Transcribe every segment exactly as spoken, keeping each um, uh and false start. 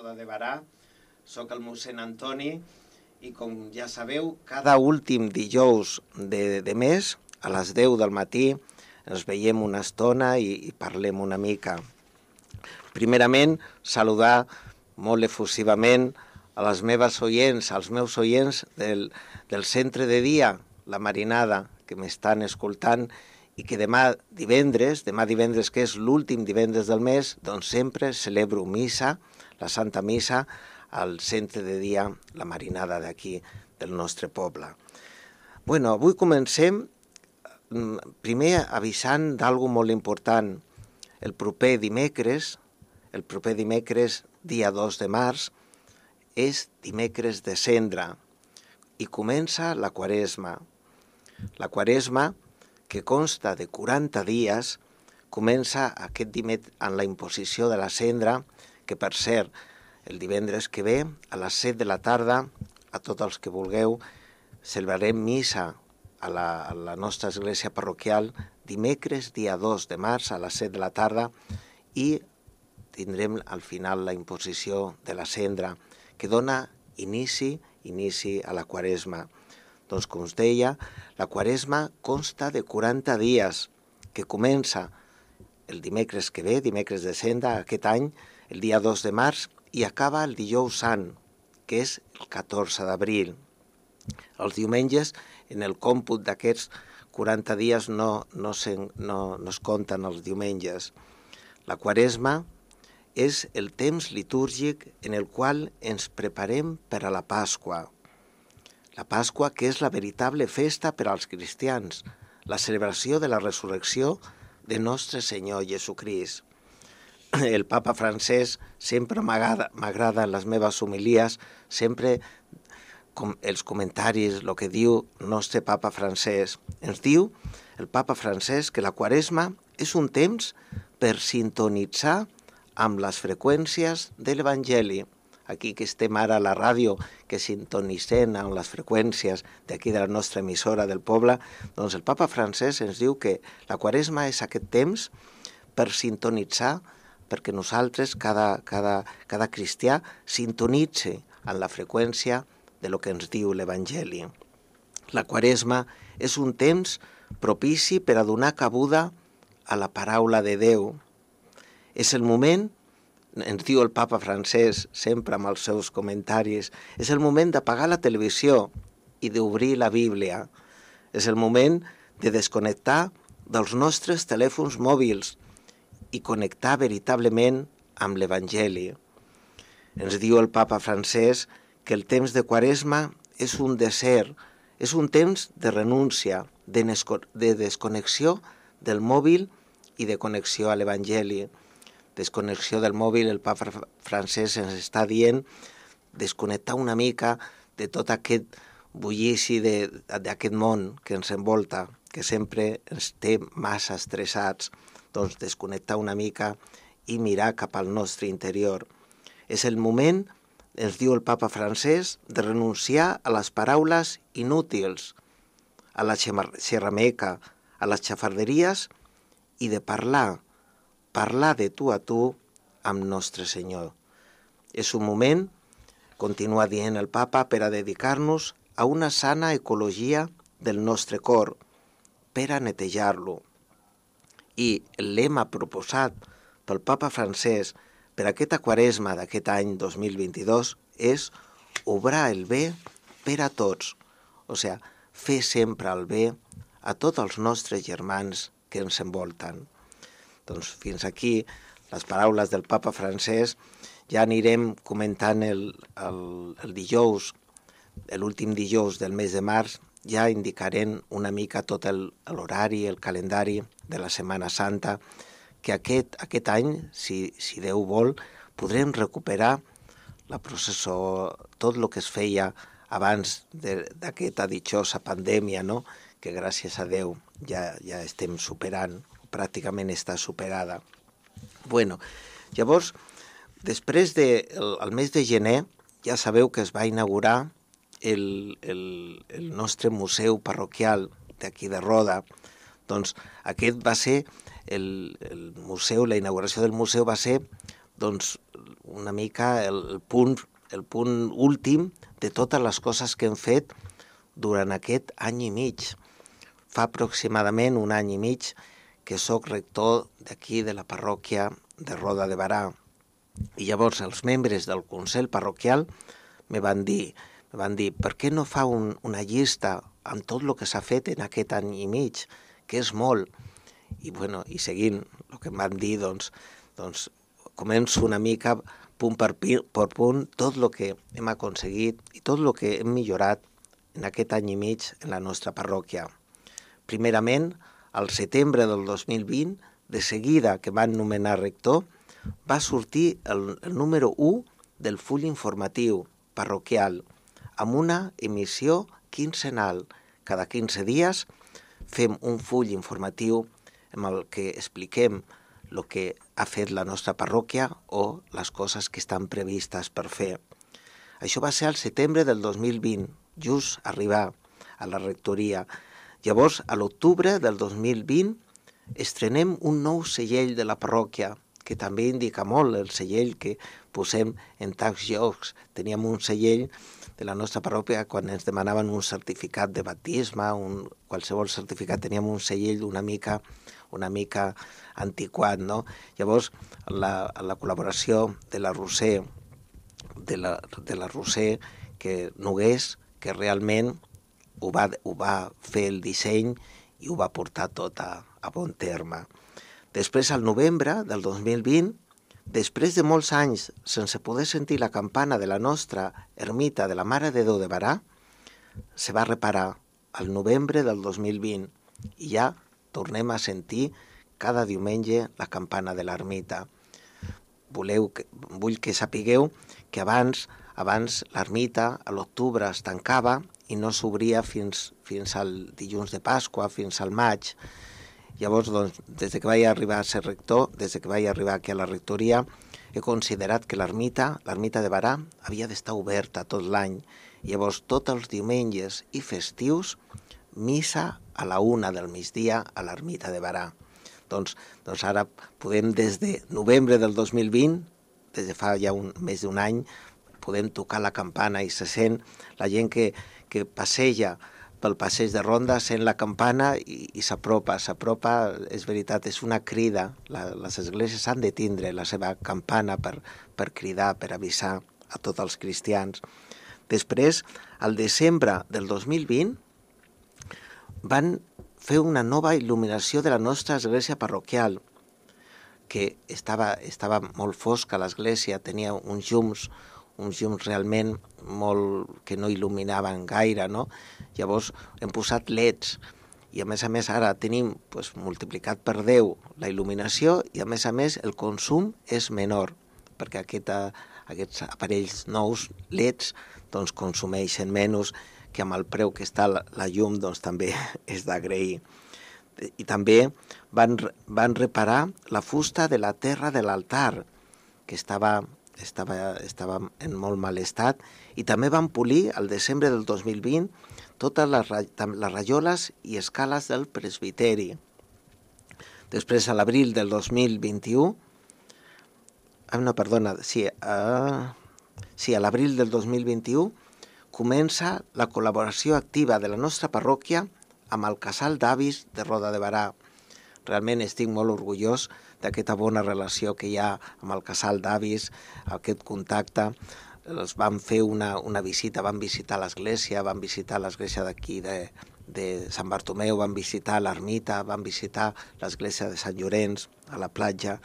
Roda de Barà, soc el mossèn Antoni i com ja sabeu, cada últim dijous de, de mes, a les deu del matí, ens veiem una estona i, i parlem una mica. Primerament, saludar molt efusivament a les meves oients, als meus oients del, del centre de dia, La Marinada, que m'estan escoltant i que demà divendres, demà divendres que és l'últim divendres del mes, doncs sempre celebro missa, la Santa Missa, al centre de dia La Marinada d'aquí, del nostre poble. Bueno, avui comencem primer avisant d'algo molt important. El proper dimecres, el proper dimecres, dia dos de març, és dimecres de Cendra i comença la Quaresma. La Quaresma, que consta de quaranta dies, comença aquest dimecres amb la imposició de la cendra, que per cert, el divendres que ve, a les set de la tarda, a tots els que vulgueu, celebrarem missa a la, a la nostra església parroquial, dimecres, dia dos de març, a les set de la tarda, i tindrem al final la imposició de la cendra, que dona inici, inici a la Quaresma. Doncs, com us deia, la Quaresma consta de quaranta dies, que comença el dimecres que ve, dimecres de Cendra, aquest any, el dia dos de març, i acaba el dijous sant, que és el catorze d'abril. Els diumenges, en el còmput d'aquests quaranta dies, no, no, se, no, no es compten els diumenges. La Quaresma és el temps litúrgic en el qual ens preparem per a la Pasqua. La Pasqua, que és la veritable festa per als cristians, la celebració de la resurrecció de nostre Senyor Jesucrist. El papa francès sempre m'agrada en les meves homilies, sempre com els comentaris, el que diu nostre papa francès. Ens diu el papa francès que la Quaresma és un temps per sintonitzar amb les freqüències de l'Evangeli. Aquí que estem ara a la ràdio, que sintonitzem amb les freqüències d'aquí de la nostra emissora del poble, doncs el papa francès ens diu que la Quaresma és aquest temps per sintonitzar, perquè nosaltres, cada, cada, cada cristià, sintonitze en la freqüència de lo que ens diu l'Evangeli. La Quaresma és un temps propici per a donar cabuda a la paraula de Déu. És el moment, ens diu el papa francès, sempre amb els seus comentaris, és el moment d'apagar la televisió i d'obrir la Bíblia. És el moment de desconnectar dels nostres telèfons mòbils i connectar veritablement amb l'Evangeli. Ens diu el papa francès que el temps de Quaresma és un desert, és un temps de renúncia, de, de desconnexió del mòbil i de connexió a l'Evangeli. Desconnexió del mòbil, el papa francès ens està dient desconnectar una mica de tot aquest bullici d'aquest món que ens envolta, que sempre ens té massa estressats. Doncs desconnectar una mica i mirar cap al nostre interior. És el moment, ens diu el papa francès, de renunciar a les paraules inútils, a la xerrameca, a les xafarderies i de parlar, parlar de tu a tu amb nostre Senyor. És un moment, continua dient el papa, per a dedicar-nos a una sana ecologia del nostre cor, per a netejar-lo. I el lema proposat pel papa francès per aquesta Quaresma d'aquest any dos mil vint-i-dos és obrar el bé per a tots, o sigui, fer sempre el bé a tots els nostres germans que ens envolten. Doncs fins aquí les paraules del papa francès. Ja anirem comentant el, el, el dijous, l'últim dijous del mes de març, ja indicarem una mica tot l'horari, el, el calendari de la Setmana Santa, que aquest, aquest any, si, si Déu vol, podrem recuperar la processó, tot el que es feia abans d'aquesta ditjosa pandèmia, no? Que gràcies a Déu ja, ja estem superant, pràcticament està superada. Bueno, llavors, després del de, el mes de gener, ja sabeu que es va inaugurar el, el, el nostre museu parroquial d'aquí de Roda. Doncs aquest va ser, el, el museu, la inauguració del museu va ser doncs, una mica el, el, punt, el punt últim de totes les coses que hem fet durant aquest any i mig. Fa aproximadament un any i mig que sóc rector d'aquí de la parròquia de Roda de Berà. I llavors els membres del Consell Parroquial me van dir, me van dir per què no fa un, una llista amb tot el que s'ha fet en aquest any i mig, que és molt. I, bueno, i seguint el que em van dir, doncs, doncs començo una mica punt per, per punt tot el que hem aconseguit i tot el que hem millorat en aquest any i mig en la nostra parròquia. Primerament, al setembre del dos mil vint, de seguida que van nomenar rector, va sortir el, el número u del full informatiu parroquial, amb una emissió quinzenal. Cada quinze dies fem un full informatiu amb el que expliquem el que ha fet la nostra parròquia o les coses que estan previstes per fer. Això va ser al setembre del dos mil vint, just arribar a la rectoria. Llavors, a l'octubre del dos mil vint, estrenem un nou segell de la parròquia, que també indica molt el segell que posem en tants llocs. Teníem un segell de la nostra parròquia quan ens demanaven un certificat de baptisme, un, qualsevol certificat, teníem un segell una mica, una mica antiquat, no? Llavors, la, la col·laboració de la Roser, de la, de la Roser que Nogués, que realment ho va, ho va fer el disseny i ho va portar tot a, a bon terme. Després, al novembre del dos mil vint, després de molts anys sense poder sentir la campana de la nostra ermita de la Mare de Déu de Berà, se va reparar al novembre del dos mil vint i ja tornem a sentir cada diumenge la campana de l'ermita. Voleu que, vull que sapigueu que abans, abans l'ermita a l'octubre es tancava i no s'obria fins, fins al dilluns de Pasqua, fins al maig. Llavors, doncs, des que vaig arribar a ser rector, des que vaig arribar aquí a la rectoria, he considerat que l'ermita, l'ermita de Berà, havia d'estar oberta tot l'any. Llavors, tots els diumenges i festius, missa a la una del migdia a l'ermita de Berà. Doncs, doncs ara podem, des de novembre del dos mil vint, des de fa ja un, més d'un any, podem tocar la campana i se sent la gent que, que passeja pel passeig de Ronda, sent la campana i, i s'apropa, s'apropa, és veritat, és una crida. La, les esglésies han de tindre la seva campana per, per cridar, per avisar a tots els cristians. Després, al desembre del dos mil vint, van fer una nova il·luminació de la nostra església parroquial, que estava, estava molt fosca l'església, tenia uns llums, uns llums realment molt que no il·luminaven gaire, no? Llavors hem posat leds i a més a més ara tenim pues, multiplicat per deu la il·luminació i a més a més el consum és menor perquè aquesta, aquests aparells nous leds doncs, consumeixen menys que amb el preu que està la, la llum doncs, també és d'agrair. I també van, van reparar la fusta de la terra de l'altar que estava Estava, estava en molt mal estat i també van polir al desembre del dos mil vint totes les, les rajoles i escales del presbiteri. Després, a l'abril del dos mil vint-i-u, ah, no, perdona, sí, a, sí, a l'abril del dos mil vint-i-u comença la col·laboració activa de la nostra parròquia amb el casal d'avis de Roda de Berà. Realment estic molt orgullós d'aquesta bona relació que hi ha amb el casal d'avis, aquest contacte. Els van fer una, una visita, van visitar l'església, van visitar l'església d'aquí de, de Sant Bartomeu, van visitar l'ermita, van visitar l'església de Sant Llorenç, a la platja.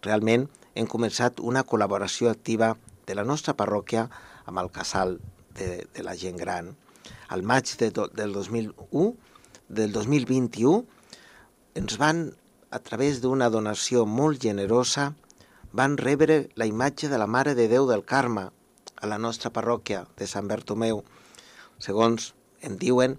Realment hem començat una col·laboració activa de la nostra parròquia amb el casal de, de la gent gran. Al maig de, del, dos mil u, del dos mil vint-i-u ens van, a través d'una donació molt generosa, van rebre la imatge de la Mare de Déu del Carme a la nostra parròquia de Sant Bartomeu. Segons em diuen,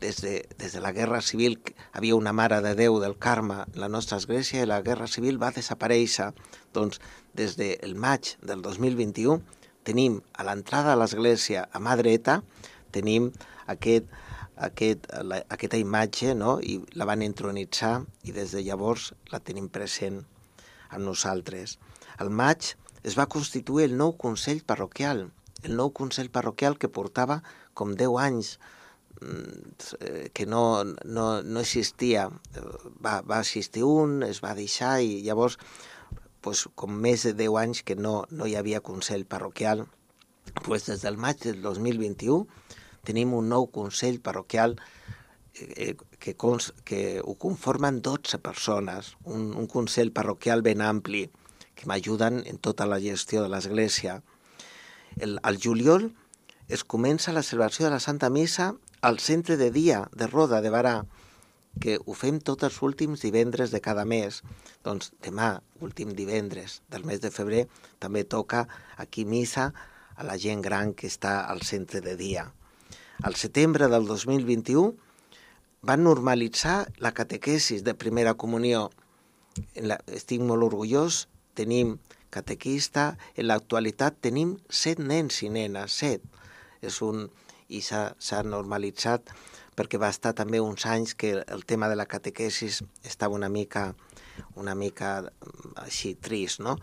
des de, des de la Guerra Civil havia una Mare de Déu del Carme a la nostra església i la Guerra Civil va desaparèixer. Doncs des del maig del dos mil vint-i-u tenim a l'entrada de l'església a mà dreta, tenim aquest Aquest, la, aquesta imatge, no? I la van entronitzar i des de llavors la tenim present amb nosaltres. Al maig es va constituir el nou Consell Parroquial, el nou Consell Parroquial que portava com deu anys que no, no, no existia. Va, va existir un, es va deixar i llavors pues, com més de deu anys que no, no hi havia Consell Parroquial. Pues des del maig del dos mil vint-i-u tenim un nou Consell Parroquial eh, que, cons, que ho conformen dotze persones, un, un Consell Parroquial ben ampli que m'ajuden en tota la gestió de l'Església. El, al juliol es comença la celebració de la Santa Missa al centre de dia de Roda de Barà, que ho fem tots els últims divendres de cada mes. Doncs demà, últim divendres del mes de febrer, també toca aquí missa a la gent gran que està al centre de dia. Al setembre del dos mil vint-i-u van normalitzar la catequesis de primera comunió. La, estic molt orgullós, tenim catequista, en l'actualitat tenim set nens i nenes, set. És un... i s'ha normalitzat perquè va estar també uns anys que el tema de la catequesis estava una mica, una mica així trist, no?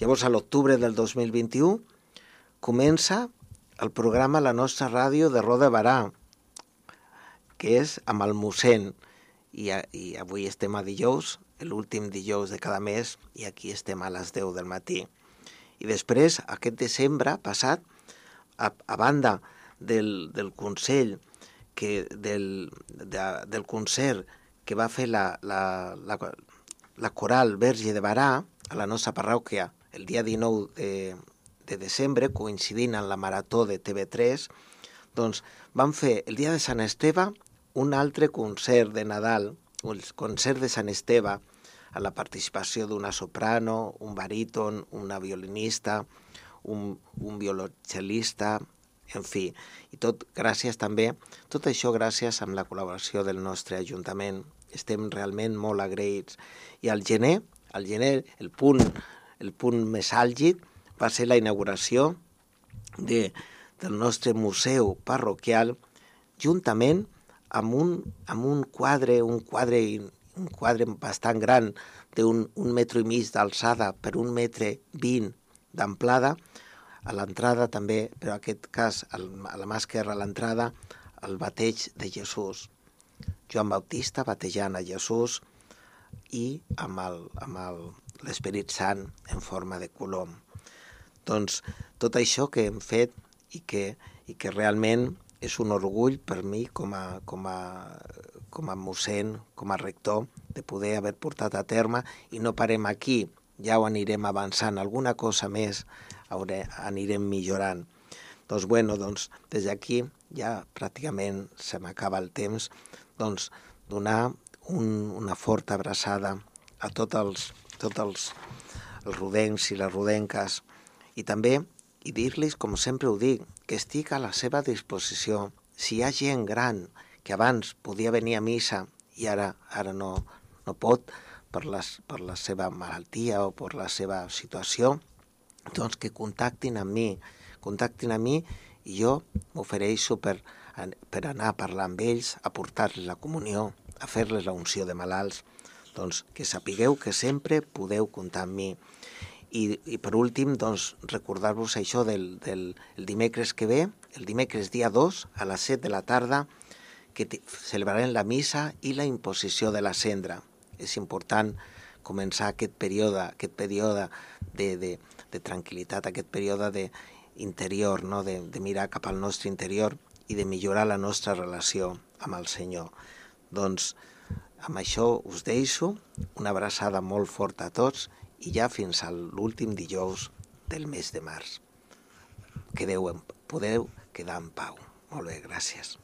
Llavors, a l'octubre del dos mil vint-i-u comença el programa La Nostra Ràdio de Roda de Barà, que és amb el mossèn, i, a, i avui estem a dijous, l'últim dijous de cada mes, i aquí estem a les deu del matí. I després, aquest desembre passat, a, a banda del, del Consell, que, del, de, del concert que va fer la, la, la, la coral Verge de Barà a la nostra parròquia el dia dinou de, de desembre, coincidint amb la marató de T V tres, doncs van fer el dia de Sant Esteve un altre concert de Nadal, el concert de Sant Esteve, a la participació d'una soprano, un baríton, una violinista, un, un violoncel·lista, en fi, i tot gràcies també, tot això gràcies amb la col·laboració del nostre Ajuntament. Estem realment molt agraïts. I al gener, al gener el punt, el punt més àlgid va ser la inauguració de, del nostre museu parroquial, juntament amb un, amb un quadre, un quadre, un quadre bastant gran d'un un metre i mig d'alçada per un metre vint d'amplada. A l'entrada també, però en aquest cas a la mà esquerra a l'entrada, el bateig de Jesús. Joan Bautista batejant a Jesús i amb l'Esperit Sant en forma de colom. Doncs tot això que hem fet i que, i que realment és un orgull per mi com a, com a, com a mossèn, com a rector, de poder haver portat a terme, i no parem aquí, ja ho anirem avançant, alguna cosa més anirem millorant. Doncs bueno, doncs des d'aquí ja pràcticament se m'acaba el temps, doncs donar un, una forta abraçada a tots els, tots els, els rodencs i les rodenques, i també i dir-los, com sempre ho dic, que estic a la seva disposició. Si hi ha gent gran que abans podia venir a missa i ara, ara no, no pot per, les, per la seva malaltia o per la seva situació, doncs que contactin amb mi, contactin amb mi i jo m'ofereixo per, per anar a parlar amb ells, a portar-los la comunió, a fer-les la unció de malalts. Doncs que sapigueu que sempre podeu comptar amb mi. I, i per últim, doncs, recordar-vos això del, del el dimecres que ve, el dimecres dia dos, a les set de la tarda, que celebrarem la missa i la imposició de la cendra. És important començar aquest període, aquest període de, de, de tranquil·litat, aquest període de interior, no? de, de mirar cap al nostre interior i de millorar la nostra relació amb el Senyor. Doncs amb això us deixo, una abraçada molt forta a tots i ja fins a l'últim dijous del mes de març. Quedeu, podeu quedar en pau. Molt bé, gràcies.